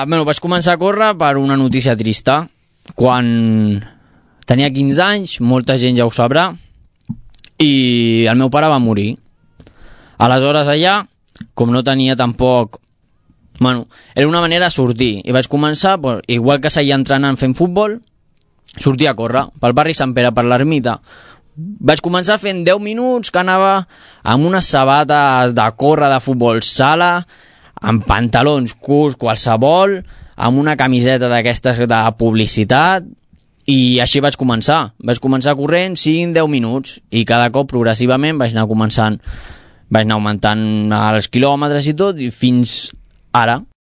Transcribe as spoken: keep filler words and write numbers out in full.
Bueno, vaig començar a córrer per una notícia trista. Quan tenia quinze anys, molta gent ja ho sabrà, i el meu pare va morir. Aleshores allà, com no tenia tampoc... Bueno, era una manera de sortir, i vaig començar, pues, igual que seguia entrenant fent futbol, sortir a córrer pel barri Sant Pere, per l'ermita. Vaig començar fent deu minuts, que anava amb unes sabates de córrer de futbol sala, amb pantalons curts, qualsevol, amb una camiseta d'aquestes de publicitat, i així vaig començar. Vaig començar corrent cinc a deu minuts, i cada cop progressivament vaig anar començant, vaig anar augmentant els quilòmetres i tot, i fins ara.